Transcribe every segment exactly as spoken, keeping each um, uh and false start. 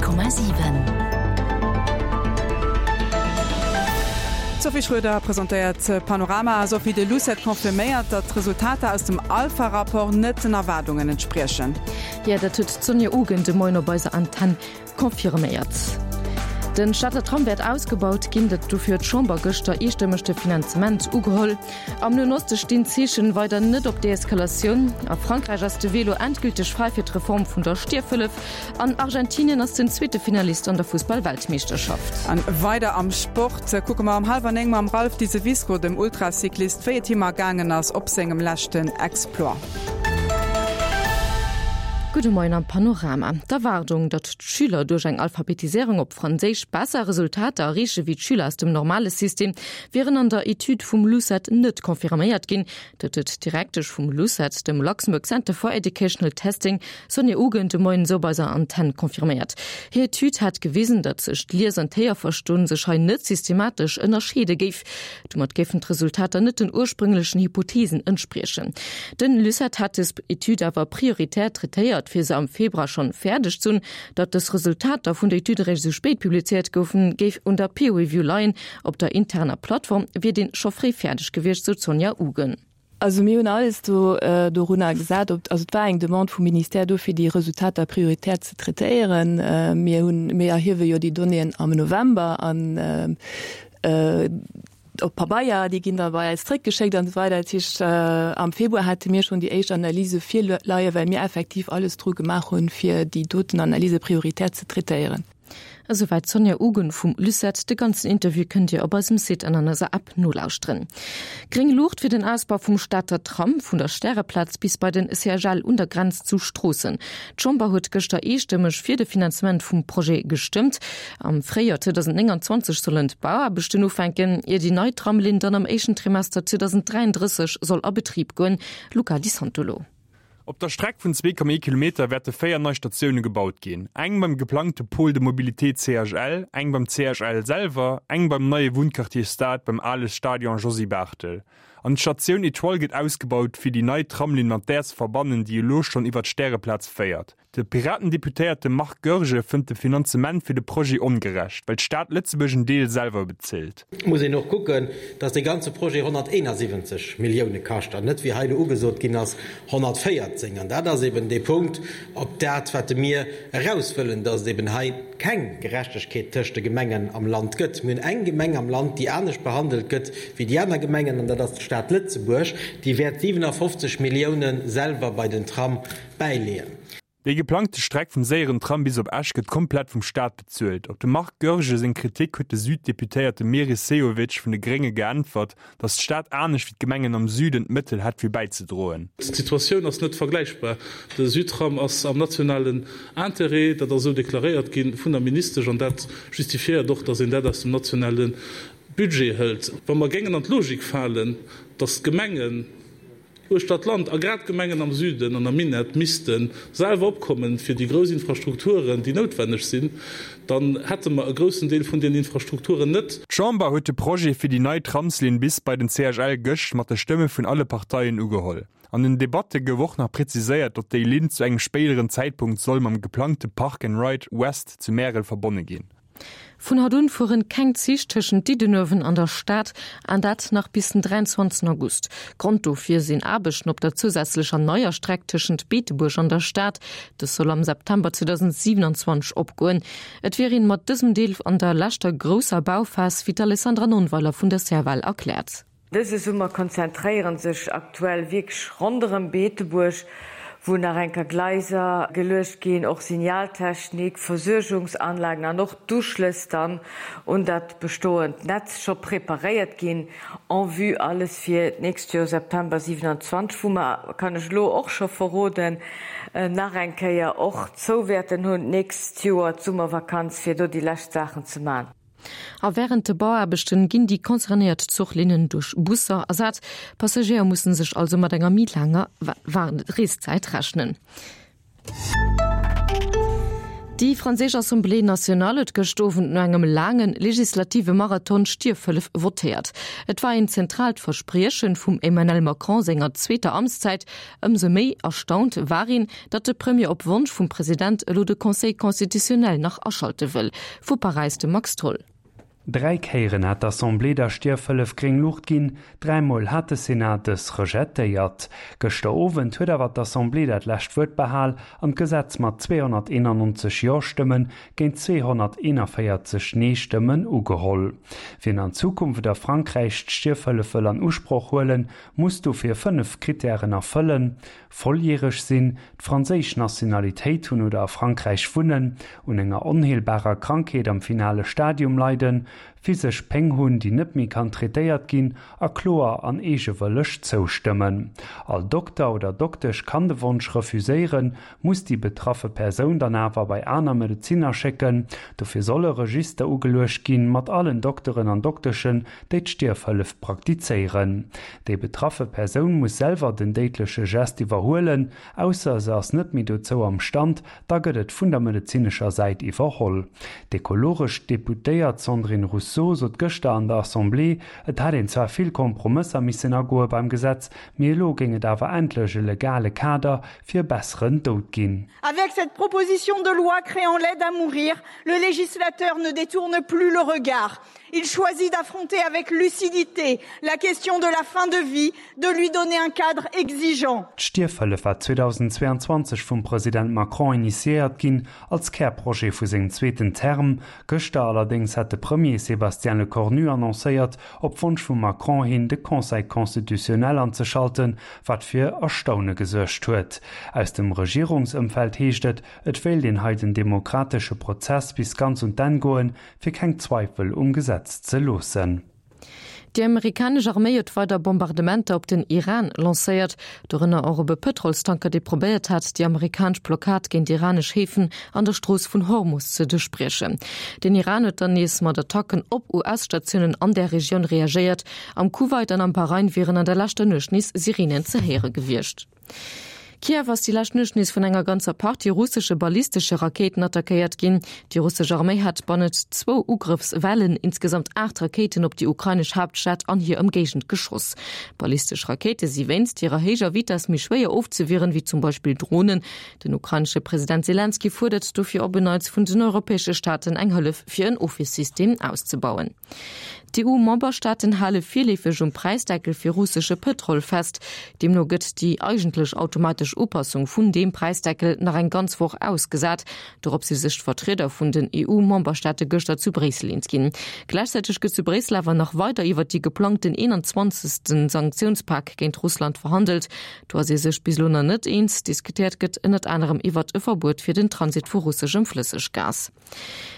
Komma siwen. D'Sophie Schröder presentéiert Panorama. Sophie, de LUCET confirméiert, datt d'Resultater aus dem Alpha-Rapport net den Erwaardungen entspriechen. Jo, dat huet d'Sonja Ugen de Moien op eiser Antenn confirméiert. Den Stater Tram wäert ausgebaut ginn, dat dofir huet d'Chamber gëschter eestëmmeg de Finanzement ugeholl. Am Noen Oste stinn d'Zeechen weider net op Deeskalatioun. A Frankräich ass de Wee lo endgülteg fräi fir d'Reform vun der Stierfhëllef. An Argentinien ass den zweete Finalist an der Fussball-Weltmeeschterschaft. An weider am Sport kucke mer um hallwer néng mam Ralph Diseviscourt, dem Ultracyclist, wéi et him ergaangen ass op sengem leschten Exploit. Gudde Moien am Panorama. D'Erwaardung, datt d'Schüler duerch eng Alphabetiséierung op Franséisch besser Resultater erreeche wéi d'Schüler aus dem normale System, wieren an der Etüd vum LUCET net confirméiert ginn. Dat huet d'Direktesch vum LUCET, dem Luxembourg Center for Educational Testing, Sonja Ugen, de Moien esou op eiser Antenn confirméiert. Hir Etüd hätt gewisen, datt sech d'Lies an d'Héierverstoen sech hei net systematesch ënnerscheede géif. Domat géifen d'Resultater net den ursprünglechen Hypotheesen entspriechen. Den LUCET hätt des Etüd awer prioritär traitéiert, fir se am Februar schonn fäerdeg ze hunn. Datt dës Resultater vun der Etüd eréischt esou spéit publizéiert goufen, géif un der Peer Review leien. Op der interner Plattform wier deen scho fréi fäerdeg gewiescht, sou d'Sonja Ugen. Also mir hunn alles do dorunner gesat, ob, also et war eng Demande vum Ministère do fir déi Resultater prioritär ze traitéieren. Mir hunn, mir erhiewe jo déi Donnéeën am November an op Pabeier, déi ginn da bei eis zréckgeschéckt an esou weider. Dat heescht, am Februar hate mir schonn déi éischt Analyse virleien, well mir effektiv alles dru gemaach hunn, fir déi doten Analyse prioritär ze traitéieren. Esouwäit d'Sonja Ugen vum LUCET. De ganzen Interview kënnt Dir op eisem Site an an eiser App nolauschteren. Gréng Luucht fir den Ausbau vum Stater Tram vun der Stäreplaz bis bei den C H L un der Grenz zu Stroossen. D'Chamber huet gëschter eestëmmeg fir de Finanzement vum Projet gestëmmt. Am Fréijoer zweedausendnénganzwanzeg sollen d'Bauaarbechten ufänken, ier déi nei Tramlinn dann am éischten Trimester zweedausendräiandrësseg soll a Betrib goen. Luca Di Santolo. Op der Streck vun zwee Komma ee Kilometer wäerte véier nei Statioune gebaut ginn, eng beim geplangte Pôle de mobilité C H L, eng beim C H L selwer, eng beim neie Wunnquartier Stad beim ale Stadion Josy Barthel. An d'Statioun Etoile gëtt ausgebaut, fir déi nei Tramlinn mat där ze verbannen, déi elo schonn iwwer d'Stäreplaz féiert. De Piraten-Deputéierte Marc Goergen fënnt de Finanzement fir de Projet ongerecht, well d'Stad Lëtzebuerg en Deel selwer bezilt. Et muss een och kucken, dass dee ganze Projet honnerteenasiwwenzeg Millioune kascht an net, wéi hei elo ugesot ginn ass, honnertvéierzéng. An dat ass eben dee Punkt, op dat, wat mir eraus wëllen, dass et eben hei keng Gerechtegkeet tëscht de Gemengen am Land gëtt. Mir hunn eng Gemeng am Land, déi anescht behandelt gëtt wéi déi aner Gemengen, an dat ass d'Stad Lëtzebuerg. Déi wäert siwenafofzeg Millioune selwer bei den Tram bäileeën. Déi geplangte Streck vum séieren Tram bis op Esch gëtt komplett vum Staat bezuelt. Op dem Marc Goergen seng Kritik huet de Süddeputéierte Meris Sehovic vun de Grénge geäntwert, datt d'Stad anescht wéi d'Gemengen am Süden d'Mëttel hätt fir bäizedroen. D'Situatioun ass net vergläichbar. De Südtram ass am nationalen Interêt, dat ass esou deklaréiert gi vun der Ministesch an dat justifiéiert och, datt een dat aus dem nationale Budget hëlt. Wa mer géingen an d'Logik falen, datt d'Gemengen uechter d'Land a grad d'Gemengen am Süden an am Minett misste selwer opkommen fir déi grouss Infrastrukturen, déi noutwenneg sinn, dann hätte mer e groussen Deel vun deenen Infrastrukturen net. D'Chamber huet de Projet fir déi nei Tramslinn bis bei den C H L gëscht mat de Stëmme vun alle Parteien ugeholl. An den Debatte gouf och nach präziséiert, datt déi Linn zu engem spéideren Zäitpunkt soll mam geplangte Park and Ride West zu Märel verbonne ginn. Vun haut un fueren keng Zich tëschent Diddenuewen an der Stad, an dat nach bis den dräianzwanzegsten August. Grond dofir sinn Aarbechten op der zousätzlecher neier Streck tëschent Beetebuerg an der Stad. Dës soll am September zweedausendsiewenanzwanzeg opgoen. Et wier een mat dësem Deel an der leschter grousser Bauphas, wéi d'Alessandra Nonnweiler vun der C F L erkläert. Dëse Summer konzentréiere sech aktuell wierklech ronderëm Beetebuerg, wou nach eng Kéier Gleiser geluecht ginn, och Signaltechnik, Versuergungsanlagen an och d'Uschlëss dann un dat bestoend Netz scho preparéiert ginn, en vue alles fir d'nächst Joer, September siewenundzwanzeg, wou mer, kann ech elo och scho verroden, nach eng Kéier och zou wäerten hunn d'nächst Joer d'Summervakanz, fir do déi lescht Saachen ze man. A wärend de Bauaarbechten ginn déi concernéiert Zuchlinnen duerch Busser ersat. Passagéier mussen sech also mat enger méi laanger Reeszäit rechnen. Déi franséisch Assemblée nationale huet gëscht Owend no engem laange legislative Marathon d'Stierfhëllef votéiert. Et war een zentraalt Versprieche vum Emmanuel Macron senger zweeter Amtszäit. Ëmsou méi erstaunt war een, datt de Premier op Wonsch vum President elo de Conseil constitutionnel nach aschalte wëll. Vu Paräis de Max Tholl. Dräi Kéieren hat d'Assemblée der Stierfhëllef gréng Luucht ginn, dräimol hat de Senat dës rejetéiert. Gëschter Owend huet awer d'Assemblée dat lescht Wuert behal an d'Gesetz mat zweehonnerteenannonzeg Jo-Stëmmen géint zweehonnerteenavéierzeg Nee-Stëmmen ugeholl. Wien an Zukunft a Frankräich d'Stierfhëllef wëll an Usproch huelen, muss dofir fënnef Krittären erfëllen, volljäreg sinn, d'franséisch Nationalitéit hunn oder a Frankräich wunnen, un enger onheelbarer Krankheet am finale Stadium leiden, physesch Péng hunn, déi net méi kann traitéiert ginn, a kloer an eegewëlleg zoustëmmen. All Dokter oder Doktesch kann de Wonsch refuséieren, muss déi betraffe Persoun dann awer bei aner Medezinner schécken. Dofir soll e Register ugeluecht ginn, mat allen Dokteren an Dokteschen, déi d'Stierfhëllef praktizéieren. Déi betraffe Persoun muss selwer den déidleche Gest iwwerhuelen, ausser se ass net méi dozou am Stand, da gëtt et vun der medezinescher Säit iwwerholl. D'ekologesch Deputéiert Sandrine Rousseau sot gëschter an der Assemblée, et hätt een zwar vill Kompromësser missen agoe beim Gesetz, mee elo géing et awer endlech e legale Kader fir e besseren Doud ginn. Avec cette proposition de loi créant l'aide à mourir, le législateur ne détourne plus le regard. Il choisit d'affronter avec lucidité la question de la fin de vie, de lui donner un cadre exigeant. D'Stierfhëllef war zweedausendzweeanzwanzeg vum President Macron initiéiert ginn als Kärprojet vu sengem zweeten Term. Gëschter allerdéngs hat de Premier Sébastien Lecornu annoncéiert, op Wonsch vum Macron hin de Conseil constitutionnel anzeschalten, wat fir Erstaune gesuergt huet. Aus dem Regierungsëmfeld heescht et, et wéilt een hei den demokratesche Prozess bis ganz un d'Enn goen, fir keng Zweifel um Gesetz ze loossen. Déi amerikanesch Arméi huet weider Bombardementer op den Iran lancéiert, dorënner och op e Pëtrolstanker, dee probéiert hat, déi amerikanesch Blockad géint iranesch Häfen an der Strooss vun Hormus ze duerchbriechen. Den Iran huet dann nees mat Attacken op U S-Statiounen an der Regioun reagéiert. Am Kuwait an am Bahrain wieren an der leschter Nuecht nees Sirenen ze héiere gewiescht. Kiew ass déi lescht Nuecht nees vun enger ganzer Partie russesche ballistesche Rakéiten attackéiert ginn. Déi russesch Arméi hat bannent zwou Ugrëffswellen insgesamt aacht Rakéiten op déi ukrainesch Haaptstad an hir Ëmgéigend geschoss. Ballistesch Rakéite si wéinst hirer héijer Vitess méi schwéier ofzewieren, wéi zum Beispill Dronen. Den ukrainesche President Selenskyj fuerdert dofir op en Neits vun den europäesche Staaten eng Hëllef fir en Ofwiersystem auszebauen. D'EU-Memberstaaten hale virleefeg um Präisdeckel fir russesche Pëtrol fest. Deemno gëtt déi eigentlech automatesch Upassung vun deem Präisdeckel nach eng ganz Woch ausgesat. Dorop si sech d'Vertrieder vun den E U-Memberstaate gëschter zu Bréissel eens ginn. Gläichzäiteg gëtt zu Bréissel awer nach weider iwwer déi geplangten eenanzwanzegsten Sanktiounspak géint Russland verhandelt. Do ass ee sech bis elo nach net eens. Diskutéiert gëtt ënnert anerem iwwer e Verbuet fir den Transit vu russeschem Flësseggas.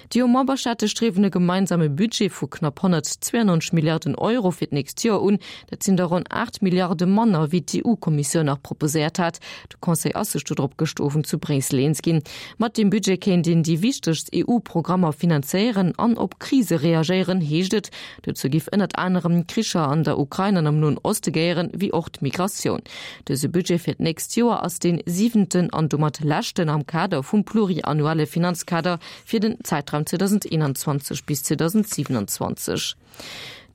D'EU-Memberstaate striewen e gemeinsame Budget vu knapp honnertzwéianneunzeg Milliarden Euro fir d'nächst Joer un. Dat sinn der ronn aacht Milliarde manner, wéi d'EU-Kommissioun nach proposéiert hat. De Conseil ass sech dodrop gëscht Owend zu Bréissel eens ginn. Mat deem Budget kéint een déi wichtegst E U-Programmer finanzéieren an op Krise reagéieren, heescht et. Dozou géif ënnert anerem d'Kricher an der Ukrain an am Noen Oste gehéieren, wéi och d'Migratioun. Dëse Budget fir d'nächst Joer ass dee siwenten an domat leschten am Kader vum pluriannuelle Finanzkader fir den Zäitraum zweedauseneenanzwanzeg bis zweedausendsiewenundzwanzeg.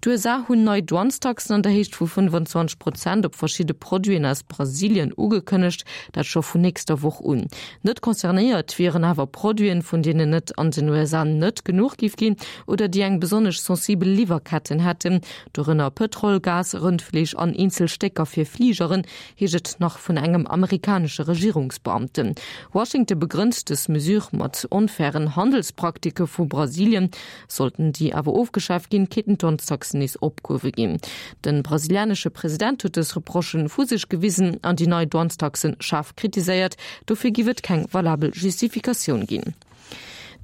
D'U S A hunn nei Douanestaxen an der Héicht vu fënnefanzwanzeg Prozent op verschidde Produiten aus Brasilien ugekënnegt, dat scho vun nächster Woch un. Net concernéiert wieren awer Produiten, vun deenen et an den U S A net genuch géif ginn oder déi eng besonnesch sensibel Liwwerketten hätten, dorënner Pëtrol, Gas, Rëndfleesch an eenzel Stécker fir Fligeren, heescht et nach vun engem amerikanesche Regierungsbeamten. Washington begrënnt dës Mesure mat onfairen Handelspraktike vu Brasilien. Sollten déi awer ofgeschaaft ginn, kéinten d'Douanestaxen nees opgehuewe ginn. De brasilianesche President huet dës Reprochë vu sech gewisen an déi nei Douanestaxe schaarf kritiséiert. Dofir géif et keng valabel Justifikatioun ginn.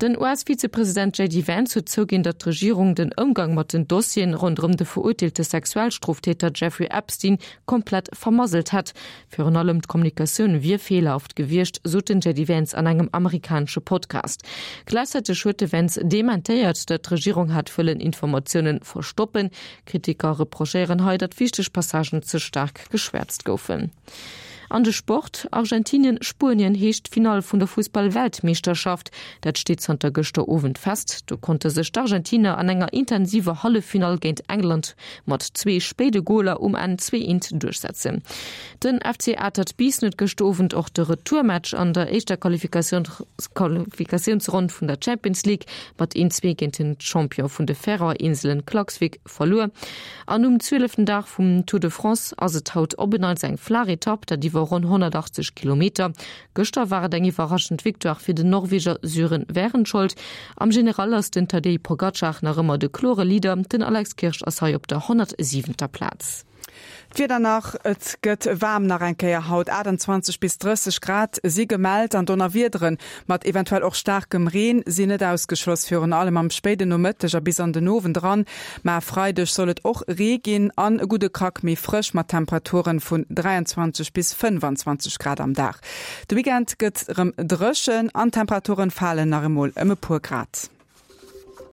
Den U S-Vizepresident J D Vance huet zouginn, datt d'Regierung den Ëmgang mat den Dossieren ronderëm de verurteelte Sexualstroftäter Jeffrey Epstein komplett vermasselt hätt. Virun allem d'Kommunikatioun wier feelerhaft gewiescht, sot den J D Vance an engem amerikanesche Podcast. Gläichzäiteg huet de Vance dementéiert, datt d'Regierung hätt wëllen Informatioune verstoppen. Kritiker reprochéieren hei, datt wichteg Passagen ze staark geschwäerzt goufen. An de Sport, Argentinien, Spuenien heescht d'Finall vun der Fussball-Weltmeeschterschaft. Dat steet zanter gëschter Owend fest. Do konnte sech d'Argentiner an enger intensiver Halleffinall géint England mat zwee spéide Goler um Enn zwee eent duerchsetzen. Den F C Atert Biissen huet gëschter Owend och de Retourmatch an der éischter Qualifikatiounsronn vun der Champions League mat een zwee géint den Champion vun de Färöer-Inselen Klaksvik verluer. An um zwieleften Dag vum Tour de France ass et haut op en Neits eng flaach Etapp, dat iwwer ronn honnertachtzeg Kilometer. Gëschter war et eng iwwerraschend Victoire fir den Norweger Sören Wærenskjold. Am General ass den Tadej Pogacar nach ëmmer de klore Leader, den Alex Kirsch ass hei op der honnertsiwenter Plaz. D'Wieder nach, Et gëtt waarm nach eng Kéier haut, aachtanzwanzeg bis drësseg Grad si gemellt an Donnerwiedere mat eventuell och staarkem Reen sinn net ausgeschloss, virun allem am spéiden Nomëtteg a bis an den Owend eran. Ma e Freideg soll et och Ree ginn an e gudde Krack méi frësch mat Temperature vun dräianzwanzeg bis fënnefanzwanzeg Grad am Dag. De Weekend gëtt erëm dréchen an d'Temperaturen falen nach emol ëm e puer Grad.